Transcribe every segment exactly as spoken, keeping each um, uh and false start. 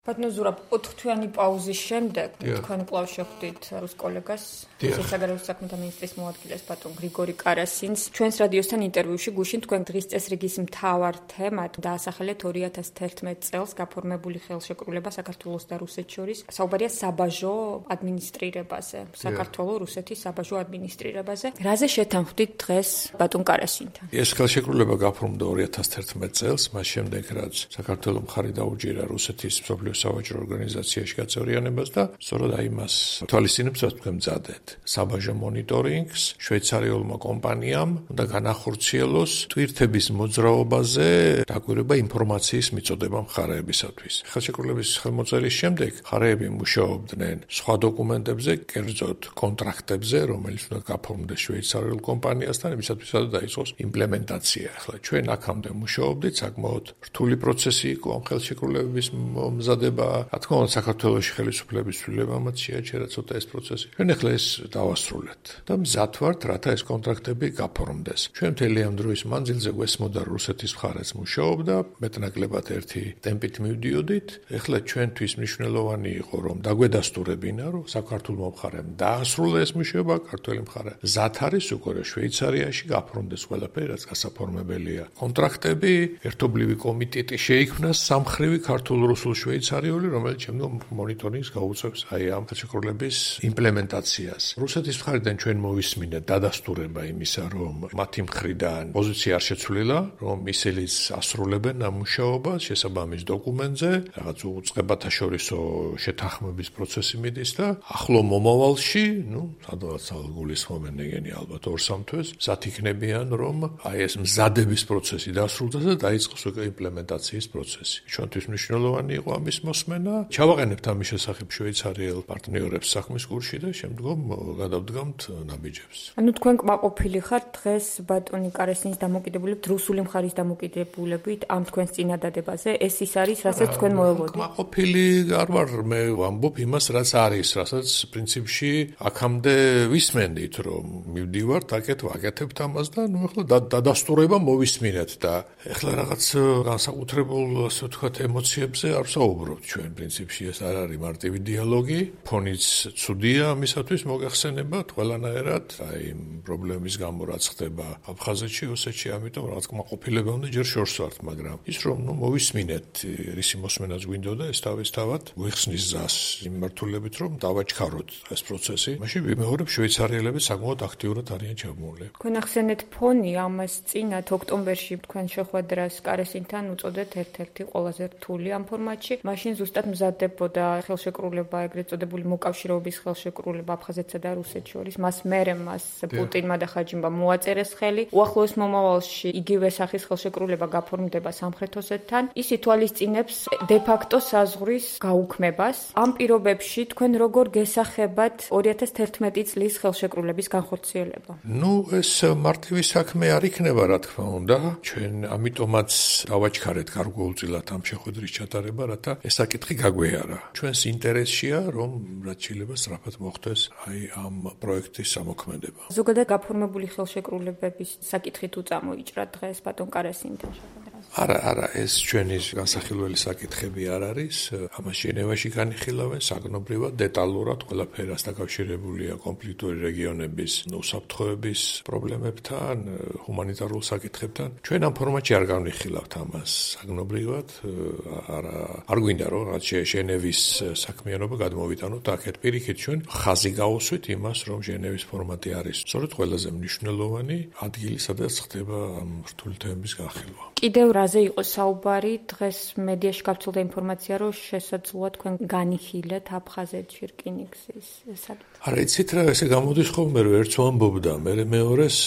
ბატონო ზურაბ, ოთხ თვიანი პაუზის შემდეგ თქვენ კვლავ შეხვდით რუს კოლეგას, საგარეო საქმეთა მინისტრის მოადგილეს ბატონ გრიგორი კარასინს. ჩვენს რადიოსთან ინტერვიუში გუშინ თქვენ დღის წესრიგის მთავარ თემად დაასახელეთ ორი ათას თერთმეტ წელს გაფორმებული ხელშეკრულება საქართველოს და რუსეთს შორის. საუბარია საბაჟო ადმინისტრირებაზე, საქართველო-რუსეთის საბაჟო ადმინისტრირებაზე. რაზე შეთანხმდით დღეს ბატონ კარასინთან? ეს ხელშეკრულება გაფორმდა ორი ათას თერთმეტ წელს, მას შემდეგ რაც საქართველოს მხარი დაუჯერა რუსეთის სავაჭრო ორგანიზაციაში გაწევრიანებას და სწორედ აი მას თვალისწინებს რაც თქვენ მზადეთ. საბაჟო მონიტორინგს შვეიცარიულმა კომპანიამ უნდა განახორციელოს ტვირთების მოძრაობაზე დაკვირვება ინფორმაციის მიწოდება მხარეებისათვის. ხელშეკრულების ხელმოწერის შემდეგ მხარეები მუშაობდნენ სხვა დოკუმენტებზე, კერძოდ კონტრაქტებზე, რომელიც უნდა გაფორმდეს შვეიცარიულ კომპანიასთან, იმისათვის რომ დაიწყოს იმპლემენტაცია. ახლა ჩვენ აქამდე მუშაობდით, საკმაოდ რთული პროცესი იყო ამ ხელშეკრულების მზადება. რა თქმა უნდა, საქართველოში ხელისუფლების ცვლილებამაც შეაჩერა ცოტა ეს პროცესი. ჩვენ ახლა ეს დავასრულეთ და მზად ვართ, რათა ეს კონტრაქტები გაფორმდეს. ჩვენ მთელი ამ დროის მანძილზე გვესმოდა რუსეთის მხარეც მუშაობდა, მეტნაკლებად ერთი ტემპით მივდიოდით. ახლა ჩვენთვის მნიშვნელოვანი იყო, რომ დაგვედასტურებინა, რომ საქართველოს მხარემ დაასრულა ეს მუშაობა, ქართველი მხარე მზად არის უკვე შვეიცარიაში გაფორმდეს ყველაფერი, რაც გასაფორმებელია. კონტრაქტები, ერთობლივი კომიტეტი შეიქმნა სამხრივი ქართულ-რუსულ შვეიცარიული, რომელიც შემდგომ მონიტორინგს გაუწევს აი ამ ხელშეკრულების იმპლემენტაციას. რუსეთის მხარიდან ჩვენ მოვისმინეთ დადასტურება იმისა, რომ მათი მხრიდან პოზიცია არ შეცვლილა, რომ ისინიც ასრულებენ ამ მუშაობას შესაბამის დოკუმენტზე, რაღაც უწყებათა შორისო შეთანხმების პროცესი მიდის და ახლო მომავალში, ну, სადღაც გულისხმობენ ეგენი ალბათ ორ სამ თვეს, მზად იქნებიან, რომ აი ეს მზადების პროცესი დასრულდეს და დაიწყოს უკვე იმპლემენტაციის პროცესი. ჩვენთვის მნიშვნელოვანი იყო ამის მოსმენა. ჩავაყენებთ ამის შესახებ შვეიცარიელ პარტნიორებს საქმის კურსში და შემდგომ გადავდგამთ ნაბიჯებს. ანუ თქვენ კმაყოფილი ხართ დღეს ბატონი კარასინის დამოკიდებულებით რუსული მხარის დამოკიდებულებით ამ თქვენს წინადადებაზე? ეს ის არის, რასაც თქვენ მოელოდით? კმაყოფილი არ ვარ, მე ვამბობ იმას, რაც არის, რასაც პრინციპში აქამდე ვისმენდით, რომ მივდივართ, აკეთ ვაკეთებთ ამას და ნუ ახლა დადასტურება მოვისმინეთ და ახლა რაღაც განსაკუთრებულ, ასე ვთქვათ, ემოციებზე არ ვსაუბრობთ ჩვენ პრინციპში ეს არ არის მარტივი დიალოგი, ფონიც ცუდია ამისათვის მოგახსენებათ ყველანაირად, აი პრობლემის გამო რაც ხდება აფხაზეთში, ოსეთში, ამიტომ რაღაც კმაყოფილება უნდა ჯერ შორს ვართ, მაგრამ ის რომ ნუ მოვისმინეთ, რისი მოსმენაც გვინდოდა ეს თავისთავად გვიხსნის ზას იმ მართულებით, რომ დავაჩქაროთ ეს პროცესი. მაშინ ვიმეორებ შვეიცარიელები საკმაოდ აქტიურად არიან ჩაბმული. თქვენ ახსენეთ ფონი ამას წინათ ოქტომბერში თქვენ შეხვედრას კარასინთან უწოდეთ ერთ-ერთი ყველაზე რთული ამ ფორმატში. მაშინ ზუსტად მზადდებოდა ხელშეკრულება, ეგრეთ წოდებული მოკავშირეობის ხელშეკრულება აფხაზეთსა და რუსეთს შორის. მას მერე მას პუტინმა და ხაჯიმბამ მოაწერეს ხელი. უახლოეს მომავალში იგივე სახის ხელშეკრულება გაფორმდება სამხრეთ ოსეთთან. ის ითვალისწინებს დე-ფაქტო საზღვრის გაუქმებას. ამ პირობებში თქვენ როგორ გესახებათ ორი ათას თერთმეტი წლის ხელშეკრულების განხორციელება? ნუ ეს მარტივი საქმე არ იქნება, რა თქმა უნდა. ჩვენ ამიტომაც დავაჩქარეთ გარკვეულწილად ამ შეხვედრის ჩატარება, რათა ეს საკითხი გაგვეარა. ჩვენს ინტერესშია, რომ რაც შეიძლება სწრაფად მოხდეს აი ამ პროექტის სამოქმედება. ზოგადად გაფორმებული ხელშეკრულებების საკითხით უწამოიჭრა დღეს ბატონ კარასინთან შეხვედრაზე? არა, არა, ეს ჩვენი განსახილველი საკითხები არ არის. ამას ჟენევაში განიხილავენ საგნობრივად, დეტალურად ყველაფერს დაკავშირებულია კონფლიქტური რეგიონების უსაფრთხოების პრობლემებთან, ჰუმანიტარულ საკითხებთან. ჩვენ ამ ფორმატში არ განვიხილავთ ამას საგნობრივად, არა, არ გვინდა რომ რაც ჟენევის საქმიანობა გადმოვიტანოთ აქეთ. პირიქით ჩვენ ხაზი გავუსვით იმას, რომ ჟენევის ფორმატი არის სწორედ ყველაზე მნიშვნელოვანი ადგილი, სადაც ხდება ამ რთული თემების განხილვა. კიდევ რაზე იყო საუბარი? დღეს მედიაში გავრცელდა ინფორმაცია, რომ შესაძლოა თქვენ განიხილეთ აფხაზეთში რკინიგზის საკითხი. არა, იცით რა, ესე გამოდის ხოლმე, რომ ერთს ვამბობდა, მე მეორეს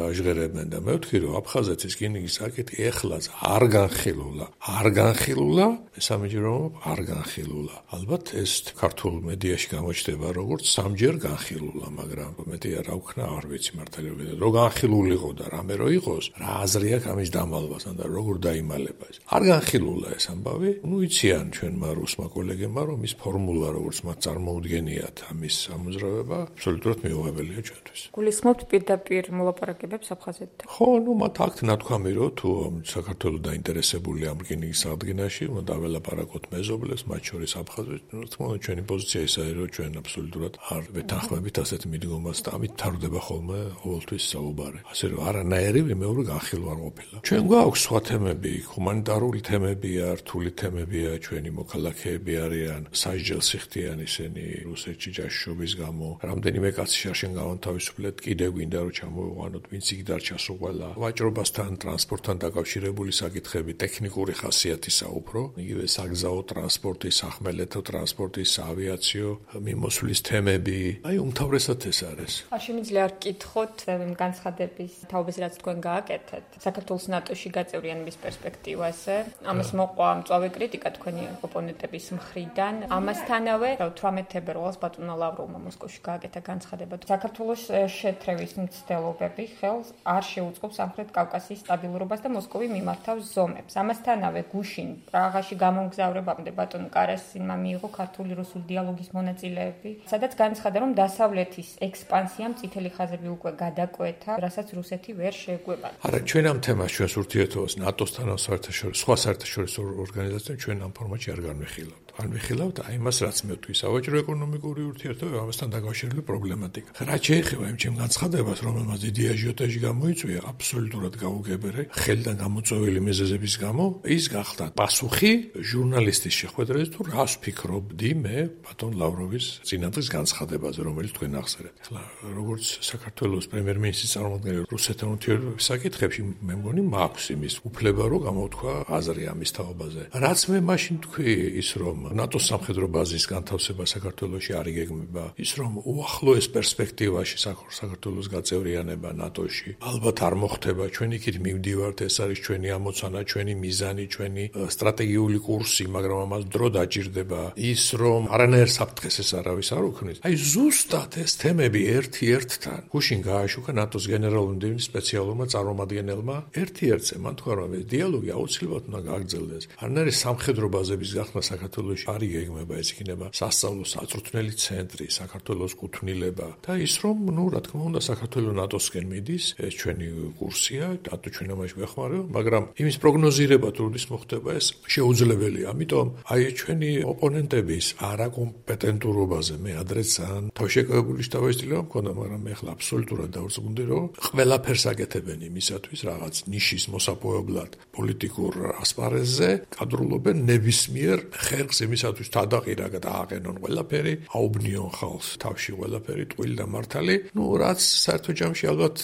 აჟღერებენ და მე ვთქვი, რომ აფხაზეთის რკინიგზის საკითხი ეხლაც არ განხილულა. არ განხილულა, მესამეჯერ რომ არ განხილულა. ალბათ ეს ქართულ მედიაში გამოჩნდება როგორც სამჯერ განხილულა, მაგრამ მეტი არ აუქნა, არ ვიცი მართალია, რომ განხილულიყო და რამე რო იყოს, რა აზრი აქვს ამის დამალვასთან და როგორ როგორ დაიმალება ეს. არ განხილულა ეს ამბავი. ნუ იციან ჩვენმა რუსმა კოლეგებმა, რომ ის ფორმულა, როგორც მათ წარმოუდგენიათ ამის ამოძრავება, აბსოლუტურად მიუღებელია ჩვენთვის. გულისხმობთ პირდაპირ მოლაპარაკებებს აფხაზეთთან. ხო, ნუ მათ აქ ნათქვამი რომ თუ საქართველოს დაინტერესებული ამ რკინიგზის აღდგენაში, უნდა დაველაპარაკოთ მეზობლებს, მათ შორის აფხაზეთს. რა თქმა უნდა, ჩვენი პოზიცია ისაა, რომ ჩვენ აბსოლუტურად არ ვეთანხმებით ასეთ მიდგომას და ამით თარდება ხოლმე ყოველთვის საუბარი. ასე რომ არანაირი მეორე განხილვა არ ყოფილა. ჩვენ გვაქვს სხვა თემები, ჰუმანიტარული თემებია, რთული თემებია, ჩვენი მოქალაქეები არიან სასჯელსიხდიან ისინი რუსეთში ჯაშუშობის გამო. რამდენიმე კაცი შარშენ გავანთავისუფლეთ, კიდევ გვინდა რომ ჩამოვიყვანოთ, ვინც იქ დარჩა სულ ყველა. ვაჭრობასთან, ტრანსპორტთან დაკავშირებული საკითხები, ტექნიკური ხასიათისა უფრო, იგივე საგზაო ტრანსპორტი, სახმელეთო ტრანსპორტი, ავიაციო მიმოსვლის თემები. აი უმთავრესად ეს არის. არ შემიძლია არ გკითხოთ განცხადების თაობას, რაც თქვენ გააკეთეთ. საქართველოს ნატოში გაწევრიანების პერსპექტივაზე. ამას მოყვა მწვავე კრიტიკა თქვენი ოპონენტების მხრიდან. ამასთანავე თვრამეტ თებერვალს ბატონმა ლავროვმა მოსკოვში გააკეთა განცხადება. საქართველოს შეთრევის მცდელობები ხელს არ შეუწყობს სამხრეთ კავკასიის სტაბილურობას და მოსკოვი მიმართავს ზომებს. ამასთანავე გუშინ პრაღაში გამომგზავრებამდე ბატონ კარასინმა მიიღო ქართული რუსული დიალოგის მონაწილეები, სადაც განცხადა, რომ დასავლეთის ექსპანსიამ წითელი ხაზები უკვე გადაკვეთა, რასაც რუსეთი ვერ შეეგუება. არა, ჩვენ ამ თემას ჩვენს ურთიერთობას ნატოსთან ან საერთაშორისო სხვა საერთაშორისო ორგანიზაციებთან ჩვენ ამ ფორმატში არ განვიხილავთ. არ ვიხილავთ აი მას, რაც მე ვთქვი, სავაჭრო ეკონომიკური ურთიერთობა, ამასთან დაკავშირებული პრობლემატიკა. რაც შეეხება იმ ჩემ განცხადებას, რომელმაც დიდი აჟიოტაჟი გამოიწვია, აბსოლუტურად გაუგებერე, ხელიდან გამოწვეული მიზეზების გამო, ის გახდა პასუხი ჟურნალისტის შეხვედრაზე თუ რას ვფიქრობდი მე ბატონ ლავროვის წინადღის განცხადებაზე, რომელიც თქვენ ახსენეთ. ახლა როგორც საქართველოს პრემიერ-მინისტრის წარმომადგენელი რუსეთთან ურთიერთობის საკითხებში, მე მგონი მაქვს იმის უფლება, რომ გამოვთქვა აზრი ამის თაობაზე. რაც მე მაშინ თქვი ის, რომ ნატოს სამხედრო ბაზის განთავსება საქართველოში არ იგეგმება, ის რომ უახლოეს პერსპექტივაში საქართველოს გაწევრიანება ნატოში ალბათ არ მოხდება, ჩვენ იქით მივდივართ, ეს არის ჩვენი ამოცანა, ჩვენი მიზანი, ჩვენი სტრატეგიული კურსი, მაგრამ ამას დრო დაჭირდება. ის რომ არანაირ საფრთხეს ეს არავის არ უქმნის. აი ზუსტად ეს თემები ერთ-ერთთან გუშინ გააშუქა ნატოს გენერალური მდივნის სპეციალურმა წარმომადგენელმა ერთ-ერთზე, მან თქვა რომ დიალოგი აუცილებლად უნდა გააგრძელდეს. არანაირი სამხედრო ბაზების გახსნა საქართველოში არ იგეგმება, ეს იქნება სასწავლო საწვრთნელი ცენტრი, საქართველოს კუთვნილება და ის რომ, ნუ რა თქმა უნდა, საქართველოს ნატოსკენ მიდის, ეს ჩვენი კურსია, ნატო ჩვენ ამაში გვეხმარება, მაგრამ იმის პროგნოზირება თუ როდის მოხდება ეს შეუძლებელია. ამიტომ აი ჩვენი ოპონენტების არაკომპეტენტურობაზე მე ადრეც ძალიან თავშეკავებული შთაბეჭდილება მქონდა, მაგრამ მე ახლა აბსოლუტურად დავრწმუნდი, რომ ყველაფერს აკეთებენ იმისათვის, რაღაც ნიშის მოსაპოვებლად პოლიტიკურ ასპარეზზე კადრულობენ ნებისმიერ ხერხს იმისათვის თადაყირა დააყენონ ყველაფერი, აუბნიონ ხალხს თავში ყველაფერი ტყუილი და მართალი, ნუ რაც საერთო ჯამში ალბათ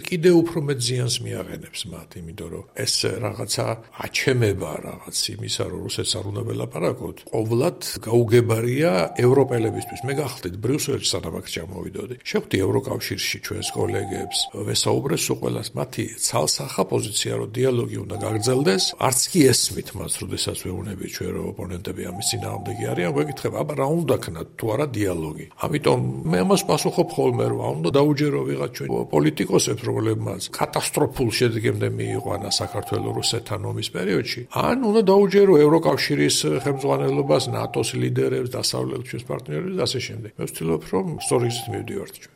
კიდევ უფრო მეტ ზიანს მიაყენებს მათ, იმიტომ რომ ეს რაღაცა აჩემება რაღაც იმისა, რომ რუსეთს არ უნდა ველაპარაკოთ, ყოვლად გაუგებარია ევროპელებისთვის. მე გახდით ბრიუსელში სანამ აქ ჩამოვიდოდი. შეხვდი ევროკავშირში ჩვენს კოლეგებს, ვესაუბრეს სულ ყველას, მათი ცალსახა პოზიცია, რომ დიალოგი უნდა გაგრძელდეს, არც კი ესმით მას, როდესაც ვეუბნებით ჩვენ რომ ოპონენტები ამის წინააღმდეგი არიან, გვეკითხება, აბა რა უნდა ქნათ თუ არა დიალოგი. ამიტომ მე ამას პასუხობ ხოლმე, რომ უნდა დაუჯერო ვიღაც ჩვენ პოლიტიკოსებს, რომლებმაც კატასტროფულ შედეგემდე მიიყვანა საქართველოს რუსეთთან ომის პერიოდში, ან უნდა დაუჯერო ევროკავშირის ხელმძღვანელობას, ნატოს ლიდერებს, დასავლეთის ჩვენს პარტნიორებს და ასე შემდეგ. მე ვცდილობ, რომ სწორი გზით მივდივართ ჩვენ.